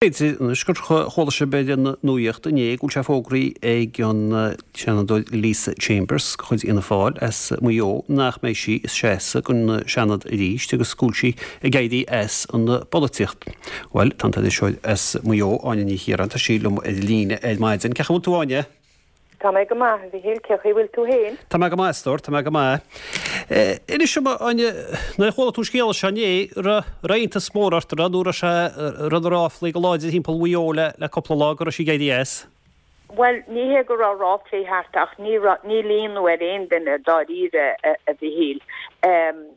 B'fhéidir anois gur chuala sibh ar an nuaíocht inné go bhfuil sé fógraithe ag an Seanadóir Lisa Chambers de chuid Fhianna Fáil as Maigh Eo nach mbeidh sí ag seasamh don Seanad arís agus go bhfuil sí ag éirí as an bpolaitíocht. Bhuel, tá an t-iriseoir as Maigh Eo, Áine Ní Chiaráin, tá sí liom ar líne ar maidin. Cén chaoi a bhfuil tú, Áine? Tá mé go maith, a Mhichíl. Cén chaoi a bhfuil tú fhéin? Tá mé go maith, a stór, tá mé go maith. Inis dom, a Áine, nuair a chuala tú an scéala seo inné, raibh iontas mór ort, raibh, nó raibh sé, raibh na ráflaí go láidir thimpeall Mhaigh Eo le, le cúpla lá go raibh sí ag éirí as? Bhuel, ní hé go raibh ráflaí thart ach ní raibh, níl ionadh ar aon duine dáiríre, a Mhichíl.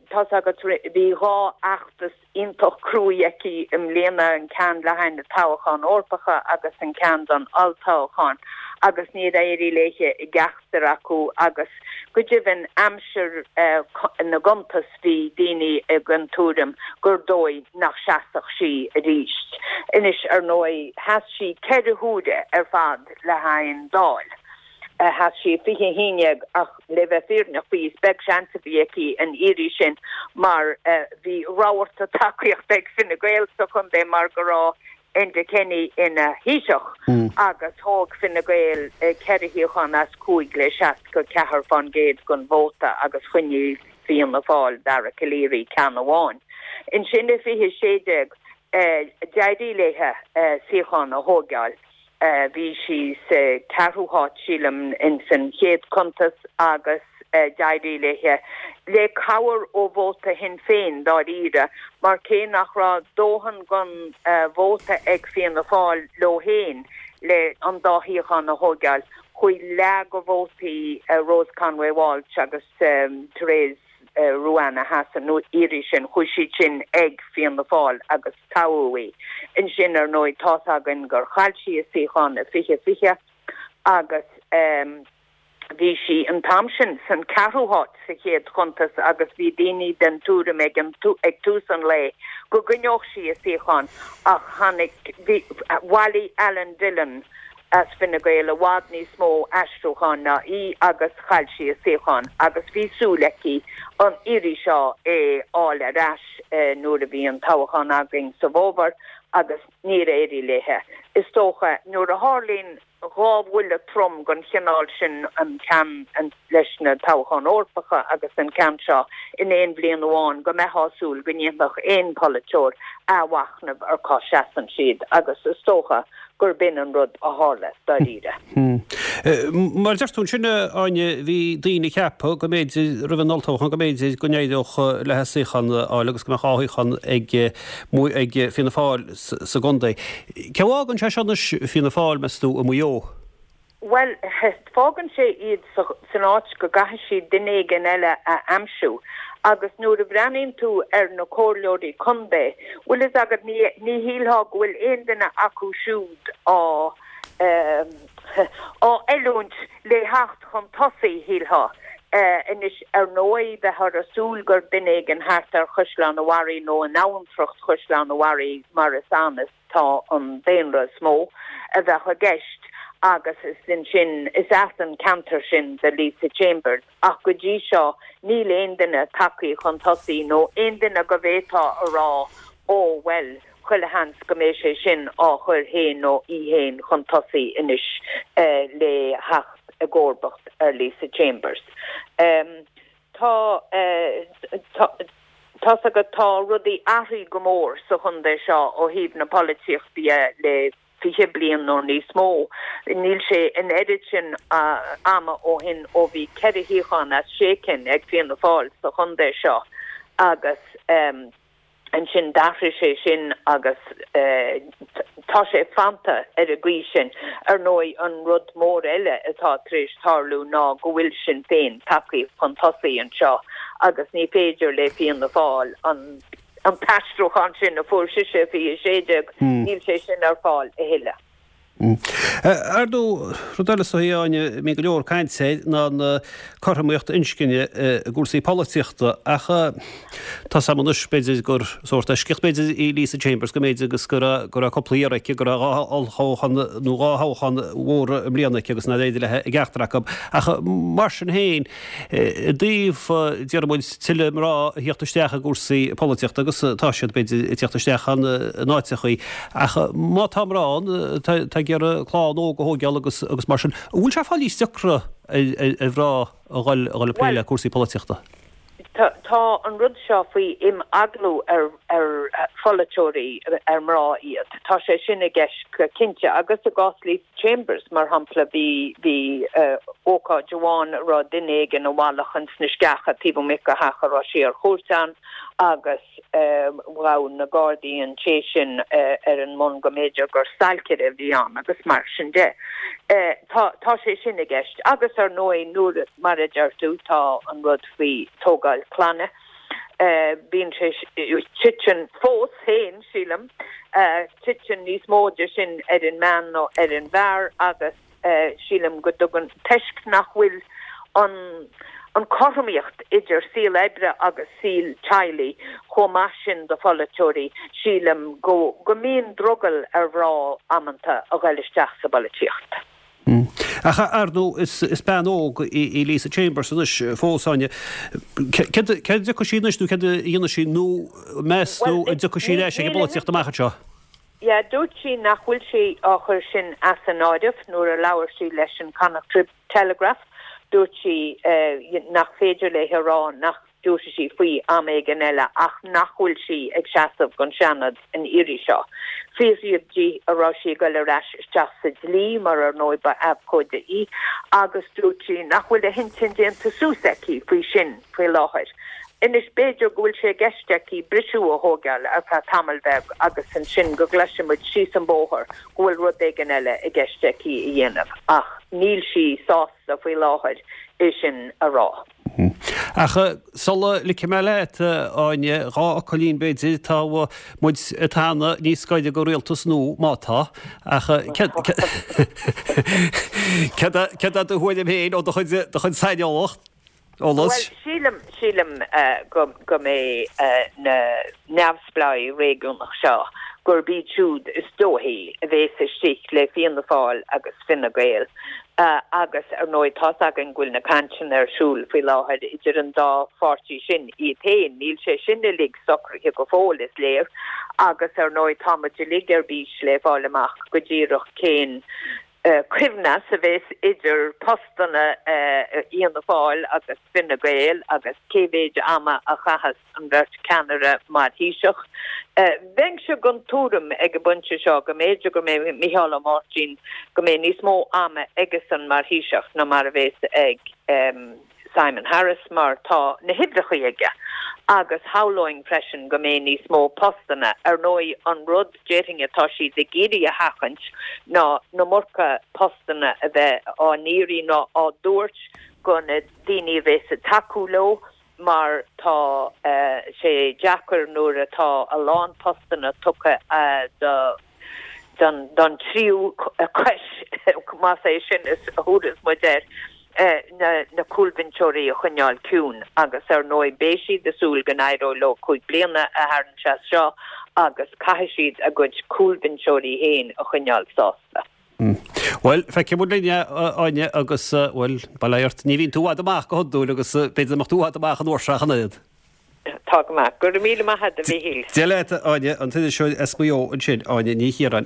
Tá's agat, bhí dhá fheachtas iontach cruaidh aici i mbliana, an ceann le haghaidh na toghcháin Eorpacha agus an ceann don olltoghchán, agus níor éirigh léithe i gceachtar acu agus go deimhin aimsir na gcuntas bhí daoine den tuairim gur dóigh nach seasfadh sí arís. Anois, ar ndóigh, sheas sí 4 huaire ar fad le haghaidh an Dáil. Sheas sí i 2011 ach le bheith fírinneach faoi is beag seans a bhí aici an iarraidh sin mar bhí rabharta tacaíochta ag Fine Gael sa chontae mar go raibh Enda Kenny ina Thaoiseach agus thóg Fine Gael 4 shuíochán as 5 le 64% den vóta agus choinnigh Fianna Fáil, Dara Calleary, ceann amháin. Ansin i 2016 d'éirigh léithe suíochán a thóigeáil. Bhí sí sa ceathrú háit, sílim, ins an chéad chuntas agus d'éirigh léithe, le cabhair ó vóta Shinn Féin, dáiríre, mar cé nach raibh dóthain den vóta ag Fianna Fáil leo féin le an dá shuíochán a thóigeáil, chuaigh leath de vótaí Rose Conway Walsh agus Therese Ruane a sheas an iarraidh sin, chuaigh siad sin ag Fianna Fáil agus toghadh í. Ansin, ar ndóigh, tá's againn gur chaill sí a suíochán i 2020 agus bhí sí an t-am sin san ceathrú háit sa chéad chuntas agus bhí daoine den tuairim ag an ag tús an lae go gcoinneodh sí a suíochán ach tháinig, bhí, bhailigh Alan Dillon as Fine Gael i bhfad níos mó aistriúcháin ná í agus chaill sí a suíochán agus bhí súil aici an iarraidh seo é fháil ar ais nuair a bhí an toghchán againn sa bhfómhar agus níor éirigh léithe. Is dócha nuair a tharlaíonn dhá bhuille trom den chineál sin, an ceann leis na toghcháin Eorpacha agus an ceann seo in aon bhliain amháin, go mbeifeá ag súil go ndéanfadh aon pholaiteoir athmhachnamh ar cá seasann siad agus is dócha gurb in an rud a tharla, dáiríre. Mar a deir tú ansin, a Áine, bhí daoine ag ceapadh go mb'fhéidir, roimh an olltoghchán, go mb'fhéidir go n-éireodh léithe suíochán a fháil agus go mbeadh dhá shuíochán ag ag Fianna Fáil sa gcontae. Cé a fhágann sé seo anois Fianna Fáil, meas tú, i Maigh Eo? Bhuel, fágann sé iad san áit go gcaithfidh siad duine éigin eile a aimsiú. Agus nuair a bhreathnaíonn tú ar na comhairleoirí contae, bhfuil fhios agat, ní ní shílfeá go bhfuil aon duine acu siúd á á oiliúint le theacht chun tosaigh, shílfeá. Anois, ar ndóigh, bheifeá ag súil gur duine éigin thart ar Chaisleán an Bharraigh nó in abhantracht Chaisleán an Bharraigh mar is ann is tá an daonra is mó a bheadh i gceist agus is ansin, is as an ceantar sin do Lisa Chambers ach go dtí seo níl aon duine tagthaí chun tosaigh nó aon duine go bhféadfá a rá ó bhuel chuile sheans go mbeidh sé sin á chur féin nó í féin chun tosaigh anois le theacht i gcomharbacht ar Lisa Chambers. Tá, tá. Tá's agat, tá rudaí athraithe go mór sa chontae seo ó thaobh na polaitíochta dhe le 20 bliain nó níos mó. Níl sé an oiread sin ama ó shin ó bhí 4 shuíochán as 6 cinn ag Fianna Fáil sa chontae seo agus ansin d'athraigh sé sin agus tá sé fanta ar an gcaoi sin. Ar ndóigh, an rud mór eile atá tar éis tarlú ná go bhfuil Sinn Féin tagtha chun tosaigh anseo agus ní féidir le Fianna Fáil an an t-aistriúchán sin a fuair sise i 2016, níl sé sin ar fáil a thuilleadh. Ar ndóigh, rud eile is dóichí, a Áine, a mbíonn go leor cainte air ná an cothromaíocht inscne i gcúrsaí polaitíochta ach tá 's agam anois, b'fhéidir gur sórt eisceacht b'fhéidir í Lisa Chambers go mb'fhéidir agus go raibh go raibh cúpla iarraidh aici, go raibh 2 olltoghchán nó 2 thoghchán mhóra i mbliana aici agus nár éirigh léi i gceachtar acu. Ach mar sin féin, I dtaobh, déarfaidh muid, tuilleadh mná a theacht isteach i gcúrsaí polaitíochta, agus tá siad, b'fhéidir, ag teacht isteach in áiteachaí, ach má tá mná ann atá ag iarraidh clann óg a thóigeáil agus agus mar sin, an bhfuil sé ag fáil níos deacra ar mhná a dhul a dhul ag plé le cúrsaí polaitíochta? Tá an rud seo faoi imeaglú ar ar pholaiteoirí ar mná iad. Tá sé sin i gceist go cinnte agus i gcás Lisa Chambers, mar shampla, bhí bhí ócáid amháin a raibh duine éigin i bhfalach ins na sceacha taobh amuigh de theach a raibh sí ar chuairt ann agus ghabh na Gardaí an té sin ar an mbonn go mb'fhéidir gur stailcire a bhí ann agus mar sin de. Tá tá sé sin i gceist agus ar ndóigh nuair, mar a deir tú, tá an rud faoi tógáil clainne. Bíonn sé, titeann fós féin, sílim, titeann níos mó de sin ar an mbean ná ar an bhfear agus sílim go dtugann, toisc nach bhfuil an an cothromaíocht idir saol oibre agus saol teaghlaigh chomh maith sin do pholaiteoirí, sílim go go mbíonn drogall ar mhná amanta a ghoil isteach sa bpolaitíocht. Ach ar ndóigh is bean óg í Lisa Chambers anois fós, Áine. Céard a dtiocfaidh sí anois nó céard a dhéanfaidh sí nó meas tú an dtiocfaidh sí ar ais ag an bpolaitíocht amach anseo? Yeah, dúirt sí nach bhfuil sí á chur sin as an áireamh nuair a labhair sí leis an Connacht Telegraph. Dúirt sí nach féidir léi a rá nach dtabharfaidh sí faoi am éigin eile ach nach bhfuil sí ag seasamh don Seanad an iarraidh seo. Fiafraíodh di an raibh sí ag dul ar ais isteach sa dlí mar ar ndóigh ba abhcóide í agus dúirt sí nach bhfuil a hintinn déanta suas aici faoi sin faoi láthair. Anois b'fhéidir go bhfuil sé i gceist aici briseadh a thóigeáil ar feadh tamaill bheag agus ansin go gcloisfidh muid síos an bóthar go bhfuil rud éigin eile i gceist aici a dhéanamh ach níl sí sásta faoi láthair é sin a rá. Ach sula ligfidh mé leat, a Áine, 2 fhocailín b'fhéidir, tá muid ag teannadh níos gaire do rialtas nua, má tá, ach céard é do thuairim féin ó do chuid saineolacht, eolas? Bhuel, sílim, sílim go, go mbeidh na neamhspleáigh réigiúnach seo, gurb iad siúd is dóichí a bhéas istigh le Fianna Fáil agus Fine Gael. Agus, ar ndóigh, tá's againn go bhfuil na cainteanna ar siúl faoi láthair idir an dá pháirtí sin iad féin. Níl sé sin uilig socraithe go fóill, is léir. Agus, ar ndóigh, tá muid uilig ar bís le fáil amach go díreach cén coibhneas a bheas idir postanna Fhianna Fáil agus Fine Gael agus cé mhéid ama a chaitheas an bheirt ceannaire mar Thaoiseach. Bheinnse den tuairim ag an bpointe seo go mb'fhéidir go mbeidh Micheál Ó Máirtín, go mbeidh níos mó ama aigesan mar Thaoiseach ná mar a bhéas ag Simon Harris mar tá na huimhreachaí aige agus shamhlóinn freisin go mbeidh níos mó postanna. Ar ndóigh an rud déarfainn atá siad ag iarraidh a sheachaint ná an iomarca postanna a bheith á n-iarraidh nó á dtabhairt go na daoine a bhéas ag tacú leo. mar tá sé deacair nuair atá a lán postanna tugtha do don tríú cois, más é sin a thabharfas muid air, na cúlbhinseoirí a choinneáil ciúin agus ar ndóigh beidh siad ag súil go n-éireoidh leo 5 bliana a tharraingt as seo agus caithfidh siad a gcuid cúlbhinseoirí féin a choinneáil sásta. Bhuel, feicfidh muid linn é, a Áine, agus, bhuel, bail ó Dhia ort, ní bhíonn tú i bhfad amach go hiondúil agus b'fhéidir nach mbeadh tú i bhfad amach an uair seo ach an oiread. Tá go maith. Go raibh míle maith agat, a Mhichíl. Dia leat, a Áine, an t-iriseoir as Maigh Eo ansin, Áine Ní Chiaráin.